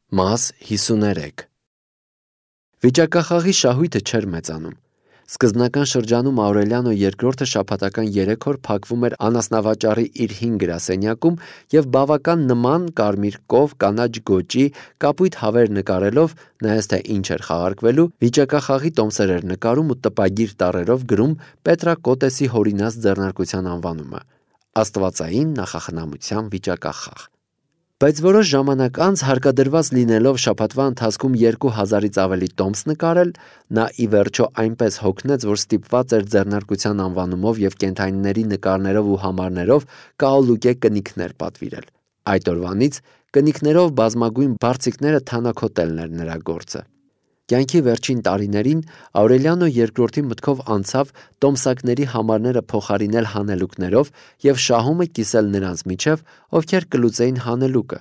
Մաս 53 Վիճակախաղի շահույթը չէր մեծանում։ Սկզբնական շրջանում Աուրելիանո II շաբաթական 3 օր փակվում էր անասնավաճառի իր 5 գրասենյակում և բավական նման կարմիր կով կանաչ գոճի կապույտ հավեր նկարելով, նայած թե ինչ էր խաղարկվելու, վիճակախաղի տոմսեր էր նկարում ու տպագիր տառերով գրում Պետրակոտեսի հորինած ձեռնարկության անվանումը՝ Աստվածային նախախնամության վիճակախաղ։ Բայց որոշ ժամանակ անց, հարկադրված լինելով շաբաթվա ընթացքում 2000-ից ավելի տոմս նկարել, նա ի վերջո այնպես հոգնեց, որ ստիպված էր ձեռնարկության անվանումով և կենդանիների նկարներով ու համարներով կահոլուկե կնիքներ պատվիրել։ Այդ օրվանից կնիքներով բազմագույն բարձիկները թանաքոտելն էր նրա գործը։ Կյանքի վերջին տարիներին Աուրելիանո II մտքով անցավ տոմսակների համարները փոխարինել հանելուկներով և շահումը կիսել նրանց միջև, ովքեր կլուծեին հանելուկը։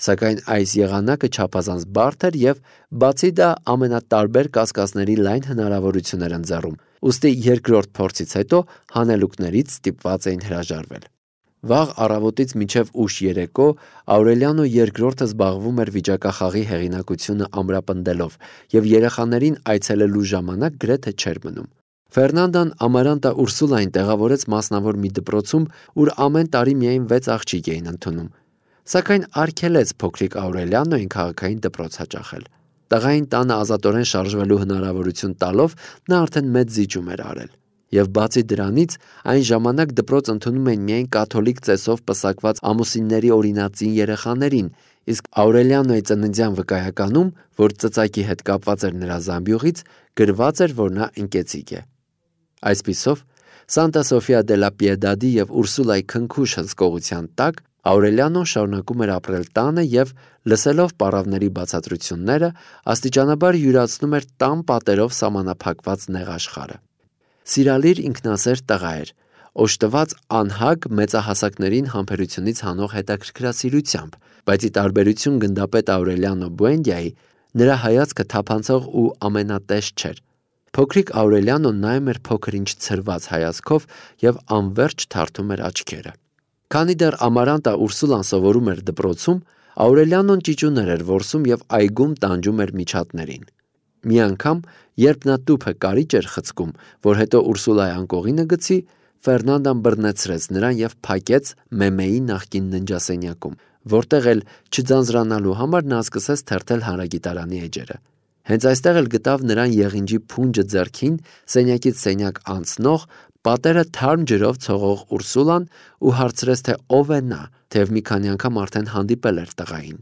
Սակայն այս եղանակը չափազանց բարդ էր և, բացի դա, ամենատարբեր կասկածների լայն հնարավորություն էր ընձեռում, ուստի երկրորդ փորձից հետո հանելուկներից ստիպված էին հրաժարվել։ Վաղ առավոտից մինչև ուշ երեկո Աուրելիանո II զբաղվում էր վիճակախաղի հեղինակությունը ամրապնդելով և երեխաներին այցելելու ժամանակ գրեթե չէր մնում։ Ֆերնանդան Ամարանտա Ուրսուլային տեղավորեց մասնավոր մի դպրոցում, ուր ամեն տարի միայն 6 աղջիկ էին ընդունում, սակայն արգելեց փոքրիկ Աուրելիանոյին քաղաքային դպրոց հաճախել։ Տղային տանը ազատորեն շարժվելու հնարավորություն տալով նա արդեն մեծ զիջում էր արել։ Եվ բացի դրանից, այն ժամանակ դպրոց ընդունում էին միայն կաթոլիկ ծեսով պսակված ամուսինների օրինածին երեխաներին, իսկ Աուրելիանոյի ծննդյան վկայականում, որ ծծակի հետ կապված էր նրա զամբյուղից, գրված էր, որ նա ընկեցիկ է։ Այսպիսով, Սանտա Սոֆիա դե լա Պիեդադի և Ուրսուլայի քնքուշ հսկողության տակ Աուրելիանոն շարունակում էր ապրել տանը և, լսելով պառավների բացատրությունները, աստիճանաբար յուրացնում էր տան պատերով սահմանափակված նեղ աշխարհը։ Սիրալիր ինքնասեր տղա էր, օժտված անհագ մեծահասակներին համբերությունից հանող հետաքրքրասիրությամբ, բայց ի տարբերություն գնդապետ Աուրելիանո Բուենդիայի, նրա հայացքը թափանցող ու ամենատես չէր։ Փոքրիկ Աուրելիանոն նայում էր փոքր-ինչ ցրված հայացքով և անվերջ թարթում էր աչքերը։ Քանի դեռ Ամարանտա Ուրսուլան սովորում էր դպրոցում, Աուրելիանոն ճիճուներ էր որսում և այգում տանջում էր միջատներին։ Մի անգամ, երբ նա տուփը կարիճ էր խցկում, որ հետո Ուրսուլայի անկողինը գցի, Ֆերնանդան բռնեցրեց նրան և փակեց Մեմեի նախկին ննջասենյակում, որտեղ էլ չձանձրանալու համար նա սկսեց թերթել հանրագիտարանի էջերը։ Հենց այստեղ էլ գտավ նրան եղինջի փունջը ձեռքին, սենյակից սենյակ անցնող, պատերը թարմ ջրով ցողող Ուրսուլան ու հարցրեց, թե ով է նա, թեև մի քանի անգամ արդեն հանդիպել էր տղային։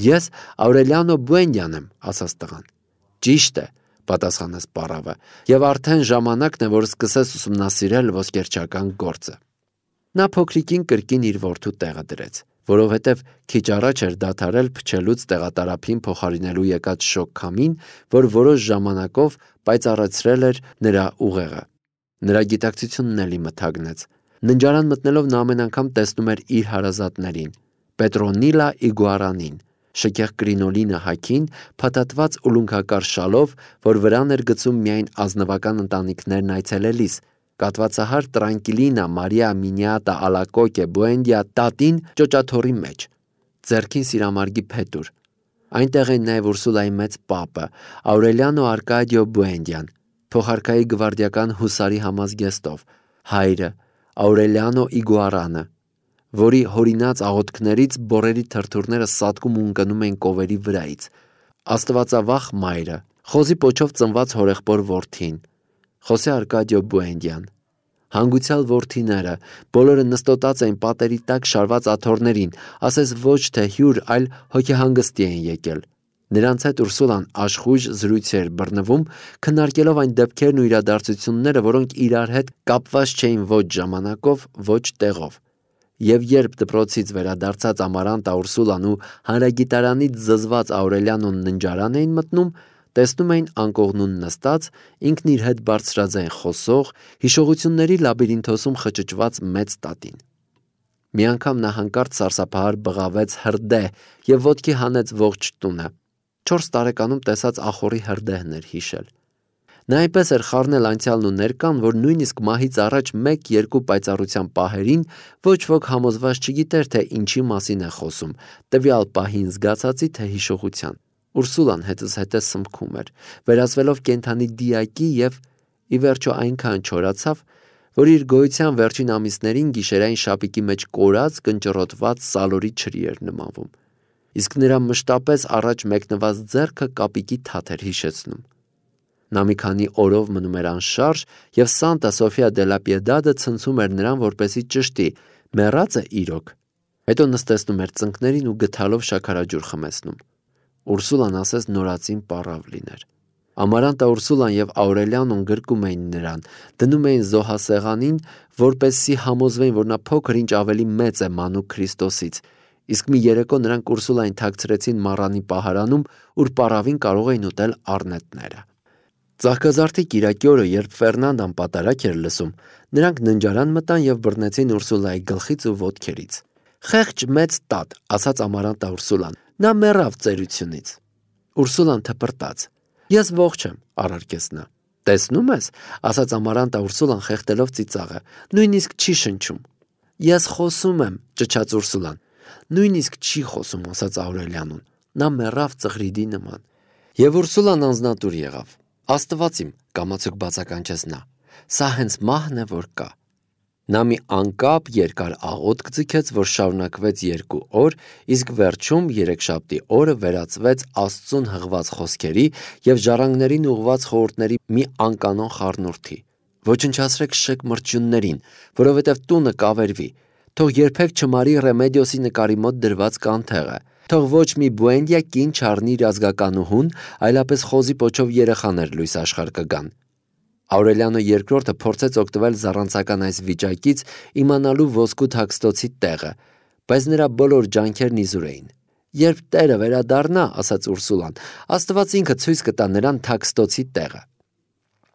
«Ես Աուրելիանո Բուենդիան եմ», ասաց տղան։ «Ճիշտ է», պատասխանեց պառավը, «և արդեն ժամանակն է, որ սկսես ուսումնասիրել ոսկերչական գործը»։ Նա փոքրիկին կրկին իր որդու տեղը դրեց, որովհետև քիչ առաջ էր դադարել փչելուց տեղատարափին փոխարինելու եկած շոգ քամին, որ որոշ ժամանակով պայծառացրել էր նրա ուղեղը։ Նրա գիտակցությունն էլի մթագնեց։ Ննջարան մտնելով նա ամեն անգամ տեսնում էր իր հարազատներին՝ Պետրոնիլա Իգուարանին, շքեղ կրինոլինը հագին, փաթաթված ուլունքակար շալով, որ վրան էր գցում միայն ազնվական ընտանիքներն այցելելիս, կաթվածահար Տրանկիլինա Մարիա Մինիատա Ալակոկե Բուենդիա տատին ճոճաթոռի մեջ, ձեռքին սիրամարգի փետուր։ Այնտեղ են նաև Ուրսուլայի մեծ պապը, Աուրելիանո Արկադիո Բուենդիան, փոխարքայի գվարդիական հուսարի համազգեստով, հայրը Աուրելիանո Իգուարանը, որի հորինած աղոթքներից բոռերի թրթուրները սատկում ու ընկնում էին կովերի վրայից, աստվածավախ մայրը, խոզի պոչով ծնված հորեղբոր որդին, Խոսե Արկադիո Բուենդիան, հանգուցյալ որդիները, բոլորը նստոտած էին պատերի տակ շարված աթոռներին, ասես ոչ թե հյուր, այլ հոգեհանգստի էին եկել։ Նրանց հետ Ուրսուլան աշխույժ զրույցի էր բռնվում, քննարկելով այն դեպքերն ու իրադարձությունները, որոնք իրար հետ կապված չէին ոչ ժամանակով, ոչ տեղով։ Եվ երբ դպրոցից վերադարձած Ամարանտա Ուրսուլան ու հանրագիտարանից զզված Աուրելիանոն ննջարան էին մտնում, տեսնում էին անկողնուն նստած, ինքն իր հետ բարձրաձայն խոսող, հիշողությունների լաբիրինթոսում խճճված մեծ տատին։ Մի անգամ նա հանկարծ սարսափահար բղավեց հրդեհ և ոտքի հանեց ողջ տունը։ 4 տարեկանում տեսած ախոռի հրդեհն էր հիշել։ Նա այնպես էր խառնել անցյալն ու ներկան, որ նույնիսկ մահից առաջ 1-2 պայծառության պահերին ոչ ոք համոզված չգիտեր, թե ինչի մասին է խոսում, տվյալ պահին զգացածի թե հիշողության։ Ուրսուլան հետզհետե սմքում էր, վերածվելով կենդանի դիակի և ի վերջո այնքան չորացավ, որ իր գոյության վերջին ամիսներին գիշերային շապիկի մեջ կորած, կնճռոտված սալորի չրի էր նմանվում։ Իսկ նրա մշտապես առաջ մեկնված ձեռքը կապիկի թաթ էր հիշեցնում։ Նա մի քանի օրով մնում էր անշարժ, և Սանտա Սոֆիա դե լա Պիեդադը ցնցում էր նրան, որպեսզի ճշտի, մեռած է իրոք։ Հետո նստեցնում էր ծնկներին ու գդալով շաքարաջուր խմեցնում։ Ուրսուլան ասես նորածին պառավ լիներ։ Ամարանտա Ուրսուլան և Աուրելիանոն գրկում էին նրան, դնում էին զոհասեղանին, որպեսզի համոզվեին, որ նա փոքր ինչ ավելի մեծ է մանուկ Քրիստոսից, իսկ մի երեկո նրանք Ուրսուլային թաքցրեցին մառանի պահարանում, ուր պառավին կարող էին ուտել առնետները։ Ծաղկազարդի կիրակի օրը, երբ Ֆերնանդան պատարակ էր լսում, նրանք ննջարան մտան և բռնեցին Ուրսուլայի գլխից ու ոտքերից։ «Խեղճ մեծ տատ», ասաց Ամարանտա Ուրսուլան, «նա մեռավ ծերությունից»։ Ուրսուլան թպրտաց։ «Ես ողջ եմ», առարկեց նա։ «Տեսնում ես», ասաց Ամարանտա Ուրսուլան խեղդելով ծիծաղը, «նույնիսկ չի շնչում»։ «Ես խոսում եմ», ճչաց Ուրսուլան։ «Նույնիսկ չի խոսում», ասաց Աուրելիանոն, «նա մեռավ ծղրիդի նման»։ Եվ Ուրսուլան անձնատուր եղավ։ «Աստված իմ», կամացուկ բացականչեց նա, «սա հենց մահն է, որ կա»։ Նա մի անկապ երկար աղոթք ձգեց, որ շարունակվեց 2 օր, իսկ վերջում երեքշաբթի օրը վերածվեց Աստծուն հղված խոսքերի և ժառանգներին ուղղված խորհուրդների մի անկանոն խառնուրդի։ «Ոչնչացրեք շեկ մրջյուններին, որովհետև տունը կավերվի, թող երբեք չմարի Ռեմեդիոսի նկարի մոտ դրված կանթեղը, թող ոչ մի Բուենդիա կին չառնի իր ազգականուհուն, այլապես խոզի պոչով երեխաներ լույս աշխարհ կգան»։ Աուրելիանո II փորձեց օգտվել զառանցական այս վիճակից, իմանալու ոսկու թաքստոցի տեղը, բայց նրա բոլոր ջանքերն իզուր էին։ «Երբ Տերը վերադառնա», ասաց Ուրսուլան, «Աստված ինքը ցույց կտա նրան թաքստոցի տեղը»։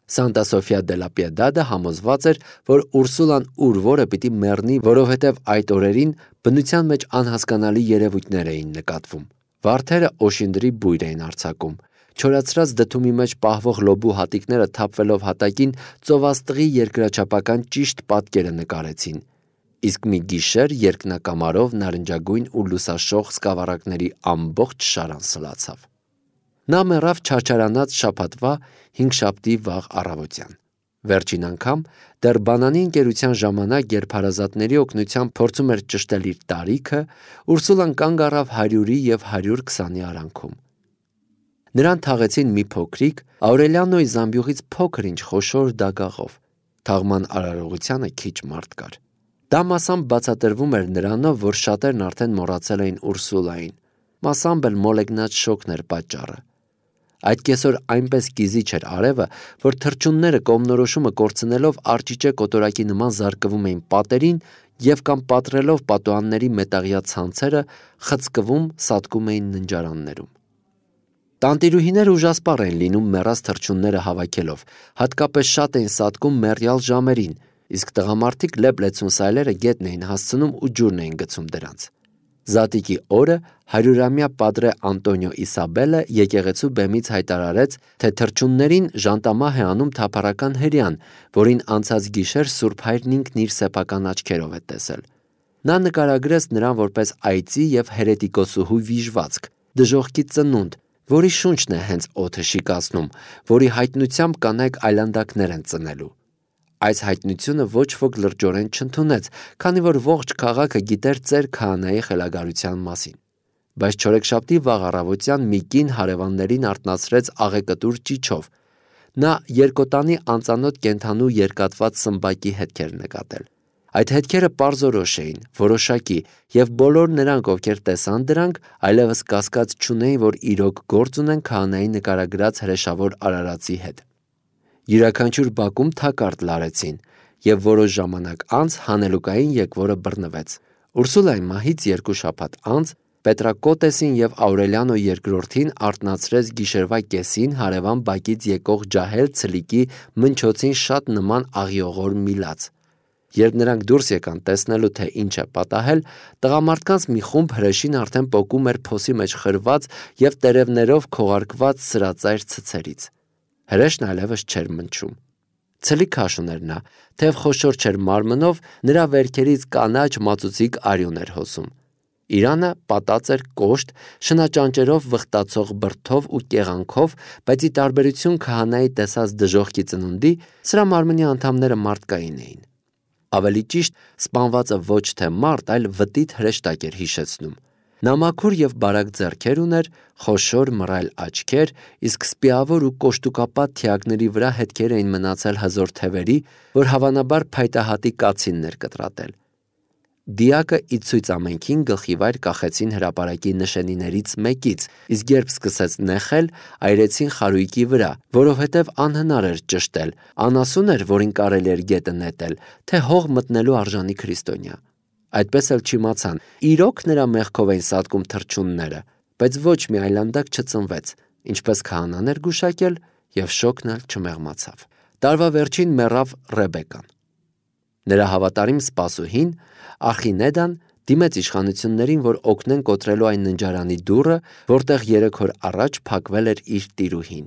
Սանտա Սոֆիա դե լա Պիեդադը համոզված էր, որ Ուրսուլան ուր որը պիտի մեռնի, որովհետև այդ օրերին բնության մեջ անհասկանալի երևույթներ էին նկատվում։ Վարդերը օշինդրի բույր էին արձակում։ Չորացրած դդումի մեջ պահվող լոբու հատիկները թափվելով հատակին ծովաստղի երկրաչափական ճիշտ պատկերը նկարեցին։ Իսկ մի գիշեր երկնակամարով նարնջագույն ու լուսաշող սկավառակների ամբողջ շարան սլացավ։ Նա մեռավ չարչարանած շաբաթվա հինգշաբթի վաղ առավոտյան։ Վերջին անգամ դեռ բանանի ընկերության ժամանակ, երբ հարազատների օգնությամբ փորձում էր ճշտել իր տարիքը, Ուրսուլան կանգ առավ 100-ի և 120-ի արանքում։ Նրան թաղեցին մի փոքրիկ, Աուրելիանոյի զամբյուղից փոքր ինչ խոշոր դագաղով։ Թաղման արարողությանը քիչ մարդ կար։ Դա մասամբ բացատրվում էր նրանով, որ շատերն արդեն մոռացել էին Ուրսուլային, մասամբ էլ մոլեգնած շոկն էր պատճառը։ Այդ կեսօր այնպես կիզիչ էր արևը, որ թռչունները կողմնորոշումը կորցնելով արջիճե կոտորակի նման զարկվում էին պատերին և կամ պատռելով պատուհանների մետաղյա ցանցերը խցկվում, սատկում էին ննջարաններում։ Տանտիրուհիները ուժասպառ էին լինում մեռած թռչունները հավաքելով, հատկապես շատ էին սատկում մեռյալ ժամերին, իսկ տղամարդիկ լեփ-լեցուն սայլերը գետն էին հասցնում ու ջուրն էին գցում դրանց։ Զատիկի օրը 100-ամյա Պատրե Անտոնիո Իսաբելը եկեղեցու բեմից հայտարարեց, թե թռչուններին ժանտամահ է անում թափառական հրեան, որին անցած գիշեր Սուրբ Հայրն ինքն իր սեփական աչքերով է տեսել։ Նա նկարագրեց նրան որպես այծի և հերետիկոսուհու վիժվածք, դժոխքի ծնունդ, որի շունչն է հենց օդը շիկացնում, որի հայտնությամբ կանայք այլանդակներ են ծնելու։ Այս հայտնությունը ոչ ոք լրջորեն չընդունեց, քանի որ ողջ քաղաքը գիտեր ծեր քահանայի խելագարության մասին։ Բայց չորեքշաբթի վաղ առավոտյան մի կին հարևաններին արթնացրեց աղեկտուր ճիչով։ Նա երկոտանի անծանոթ կենդանու երկատված սմբակի հետքեր նկատել։ Այդ հետքերը պարզորոշ էին, որոշակի, և բոլոր նրանք, ովքեր տեսան դրանք, այլևս կասկած չունեին, որ իրոք գործ ունեն քահանայի նկարագրած հրեշավոր արարածի հետ։ Յուրաքանչյուր բակում թակարդ լարեցին, և որոշ ժամանակ անց հանելուկային եկվորը բռնվեց։ Ուրսուլայի մահից 2 շաբաթ անց Պետրակոտեսին և Աուրելիանո II-ին արթնացրեց գիշերվա կեսին հարևան բակից եկող ջահել ցլիկի մնչոցին շատ նման աղիողոր մի լաց։ Երբ նրանք դուրս եկան տեսնելու, թե ինչ է պատահել, տղամարդկանց մի խումբ հրեշին արդեն պոկում էր փոսի մեջ խրված և տերևներով քողարկված սրածայր ցցերից։ Հրեշն այլևս չէր մնչում։ Ցլի քաշուն էր նա, թեև խոշոր չէր մարմնով, նրա վերքերից կանաչ մածուցիկ արյուն էր հոսում։ Իրանը պատած էր կոշտ, շնաճանճերով վխտացող բրդով ու կեղանքով, բայց ի տարբերություն քահանայի տեսած դժոխքի ծնունդի, սրա մարմնի անդամները մարդկային էին։ Ավելի ճիշտ, սպանվածը ոչ թե մարդ, այլ վտիտ հրեշտակ էր հիշեցնում։ Նա մաքուր և բարակ ձեռքեր ուներ, խոշոր մռայլ աչքեր, իսկ սպիավոր ու կոշտուկապատ թիակների վրա հետքեր էին մնացել հզոր թևերի, որ հավանաբար փայտահատի կացինն էր կտրատել։ Դիակը ի ցույց ամենքին գլխիվայր կախեցին հրապարակի նշանիներից մեկից, իսկ երբ սկսեց նեխել, այրեցին խարույկի վրա, որովհետև անհնար էր ճշտել, անասուն էր, որին կարելի էր գետը նետել, թե հող մտնելու արժանի քրիստոնյա։ Այդպես էլ չիմացան, իրոք նրա մեղքով էին սատկում թռչունները, բայց ոչ մի այլանդակ չծնվեց, ինչպես քահանան էր գուշակել, և շոգն էլ չմեղմացավ։ Տարվա վերջին մեռավ Ռեբեկան։ Նրա հավատարիմ սպասուհին Արխինեդան դիմեց իշխանություններին, որ օգնեն կոտրելու այն ննջարանի դուռը, որտեղ 3 օր առաջ փակվել էր իր տիրուհին։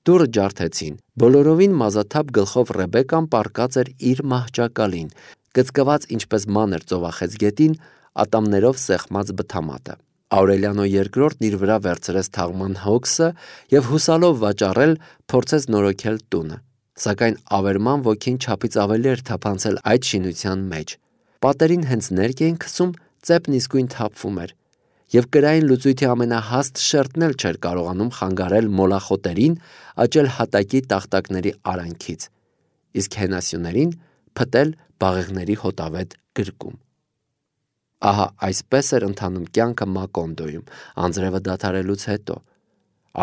Դուռը ջարդեցին, բոլորովին մազաթափ գլխով Ռեբեկան պառկած էր իր մահճակալին, կծկված ինչպես մանր ծովախեցգետին, ատամներով սեղմած բթամատը։ Աուրելիանո II-ն իր վրա վերցրեց թաղման հոգսը և հուսալով վաճառել, փորձեց նորոգել տունը, սակայն ավերման ոգին չափից ավելի էր թափանցել այդ շինության մեջ։ Պատերին հենց ներք էին քսում, ծեպն իսկույն թափվում էր, և կրային լուծույթի ամենահաստ շերտն էլ չէր կարողանում խանգարել մոլախոտերին աճել հատակի տախտակների արանքից, իսկ հենասյուներին փտել բաղեղների հոտավետ գրկում։ Ահա այսպես էր ընթանում կյանքը Մակոնդոյում անձրևը դադարելուց հետո։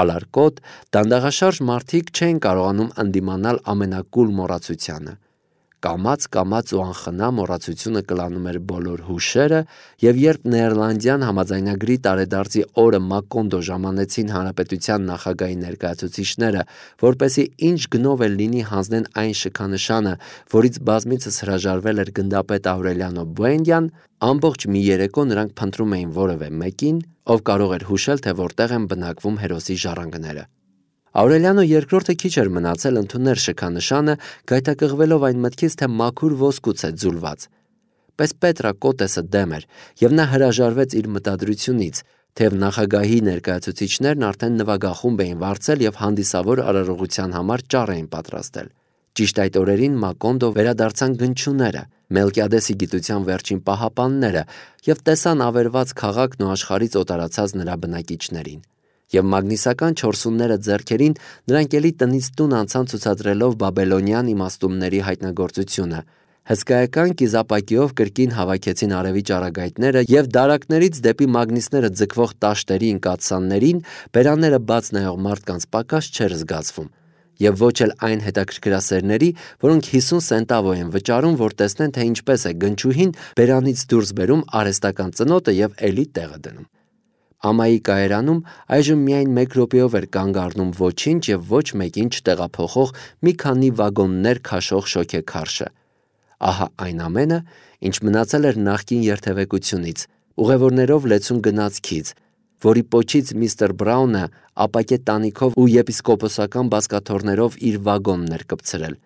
Ալարկոտ, դանդաղաշարժ մարդիկ չէին կարողանում ընդդիմանալ ամենակուլ մոռացությանը։ Կամաց ու անխնա մոռացությունը կլանում էր բոլոր հուշերը, և երբ Նեերլանդյան համաձայնագրի տարեդարձի օրը Մակոնդո ժամանեցին հանրապետության նախագահի ներկայացուցիչները, որպեսզի ինչ գնով էլ լինի հանձնեն այն շքանշանը, որից բազմիցս հրաժարվել էր գնդապետ Աուրելիանո Բուենդյան, ամբողջ մի երեկո նրանք փնտրում էին որևէ մեկին, ով կարող էր հուշել, թե որտեղ են բնակվում հերոսի ժառանգները։ Աուրելիանո II-ը քիչ էր մնացել ընդուներ շքանշանը, գայթակղվելով այն մտքից, թե մաքուր ոսկուց է ձուլված։ Պես Պետրա Կոտեսը դեմ էր, և նա հրաժարվեց իր մտադրությունից, թեև նախագահի ներկայացուցիչներն արդեն նվագախումբ էին վարձել և հանդիսավոր արարողության համար ճառ էին պատրաստել։ Ճիշտ այդ օրերին Մակոնդո վերադարձան գնչուները, Մելկիադեսի գիտության վերջին պահապանները և տեսան ավերված քաղաքն ու աշխարհից օտարացած նրա բնակիչներին։ Եվ մագնիսական չորսունները ձեռքերին նրանք էլի տնից տուն անցան ցուցադրելով բաբելոնյան իմաստունների հայտնագործությունը, հսկայական կիզապակիով կրկին հավաքեցին արևի ճառագայթները և դարակներից դեպի մագնիսները ձգվող տաշտերի ընկածաններին բերանները բաց նայող մարդկանց պակաս չէր զգացվում, և ոչ էլ այն հետաքրքրասերների, որոնք 50 սենտավո են վճարում, որ տեսնեն, թե ինչպես է գնչուհին բերանից դուրս բերում արհեստական ծնոտը և էլի տեղը դնում։ Ամայի կայարանում այժմ միայն 1 րոպեով էր կանգ առնում ոչինչ և ոչ մեկին չտեղափոխող մի քանի վագոններ քաշող շոգեքարշը։ Ահա այն ամենը, ինչ մնացել էր նախկին երթևեկությունից, ուղևորներով լեցուն գնացքից, որի պոչից միստր Բրաունը ապակե տանիքով ու եպիսկոպոսական բազկաթոռներով իր վագոնն էր կպցրել,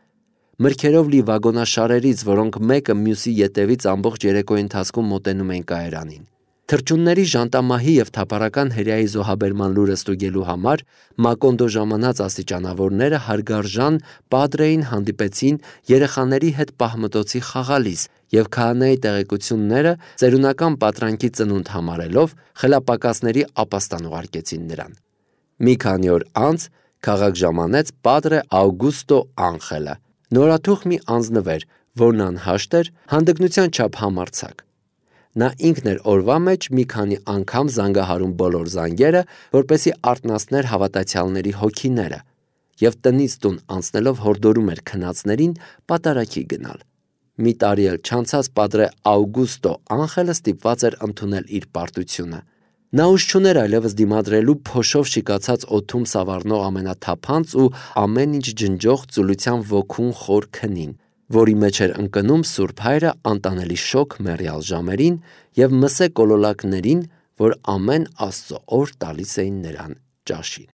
մրգերով լի վագոնաշարերից, որոնք մեկը մյուսի ետևից ամբողջ երեկոյի ընթացքում մոտենում էին կայարանին։ Թռչունների ժանտամահի և թափառական հրեայի զոհաբերման լուրը ստուգելու համար Մակոնդո ժամանած աստիճանավորները հարգարժան Պադրեին հանդիպեցին երեխաների հետ պահմտոցի խաղալիս և քահանայի տեղեկությունները ծերունական պատրանքի ծնունդ համարելով խելապակասների ապաստան ուղարկեցին նրան։ Մի քանի օր անց քաղաք ժամանեց Պադրե Աուգուստո Անխելը, նորաթուխ մի անձնվեր, որն անհաշտ էր, հանդգնության չափ համարձակ։ Նա ինքն էր օրվա մեջ մի քանի անգամ զանգահարում բոլոր զանգերը, որպեսզի արթնացներ հավատացյալների հոգիները, և տնից տուն անցնելով հորդորում էր քնածներին պատարագի գնալ։ Մի տարի էլ չանցած Պատրե Աուգուստո Անխելը ստիպված էր ընդունել իր պարտությունը։ Նա ուժ չուներ այլևս դիմադրելու փոշով շիկացած օդում սավառնող ամենաթափանց ու ամեն ինչ ջնջող ծուլության ոգուն խոր քնին, որի մեջ էր ընկնում Սուրբ Հայրը անտանելի շոգ մեռյալ ժամերին և մսե կոլոլակներին, որ ամեն Աստծո օր տալիս էին նրան ճաշին։